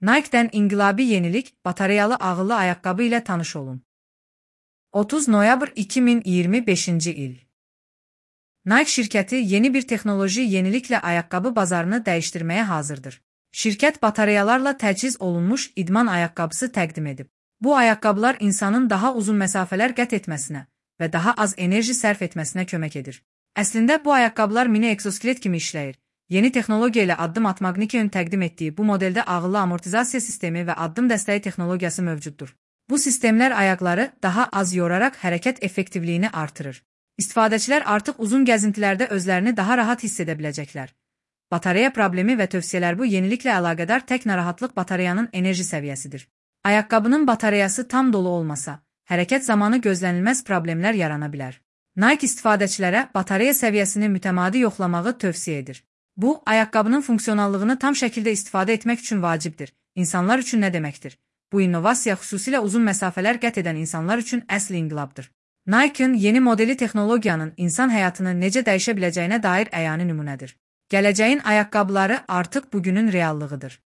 Nike'dən inqilabi yenilik, batareyalı ağıllı ayaqqabı ilə tanış olun. 30 noyabr 2025-ci il. Nike şirkəti yeni bir texnoloji yeniliklə ayaqqabı bazarını dəyişdirməyə hazırdır. Şirkət batareyalarla təchiz olunmuş idman ayaqqabısı təqdim edib. Bu ayaqqabılar insanın daha uzun məsafələr qət etməsinə və daha az enerji sərf etməsinə kömək edir. Əslində bu ayaqqabılar mini egzoskelet kimi işləyir. Yeni texnologiya ilə addım atmaq Nike'nin təqdim etdiyi bu modeldə ağıllı amortizasiya sistemi və addım dəstəyi texnologiyası mövcuddur. Bu sistemlər ayaqları daha az yoraraq hərəkət effektivliyini artırır. İstifadəçilər artıq uzun gəzintilərdə özlərini daha rahat hiss edə biləcəklər. Batareya problemi və tövsiyələr. Bu yeniliklə əlaqədar tək narahatlıq batareyanın enerji səviyyəsidir. Ayaqqabının batareyası tam dolu olmasa, hərəkət zamanı gözlənilməz problemlər yarana bilər. Nike istifadəçilərə batareya səviyyəsini mütəmadi yoxlamağı tövsiyə edir. Bu, ayaqqabının funksionallığını tam şəkildə istifadə etmək üçün vacibdir. İnsanlar üçün nə deməkdir? Bu innovasiya xüsusilə uzun məsafələr qət edən insanlar üçün əsl inqilabdır. Nike'ın yeni modeli texnologiyanın insan həyatını necə dəyişə biləcəyinə dair əyani nümunədir. Gələcəyin ayaqqabıları artıq bugünün reallığıdır.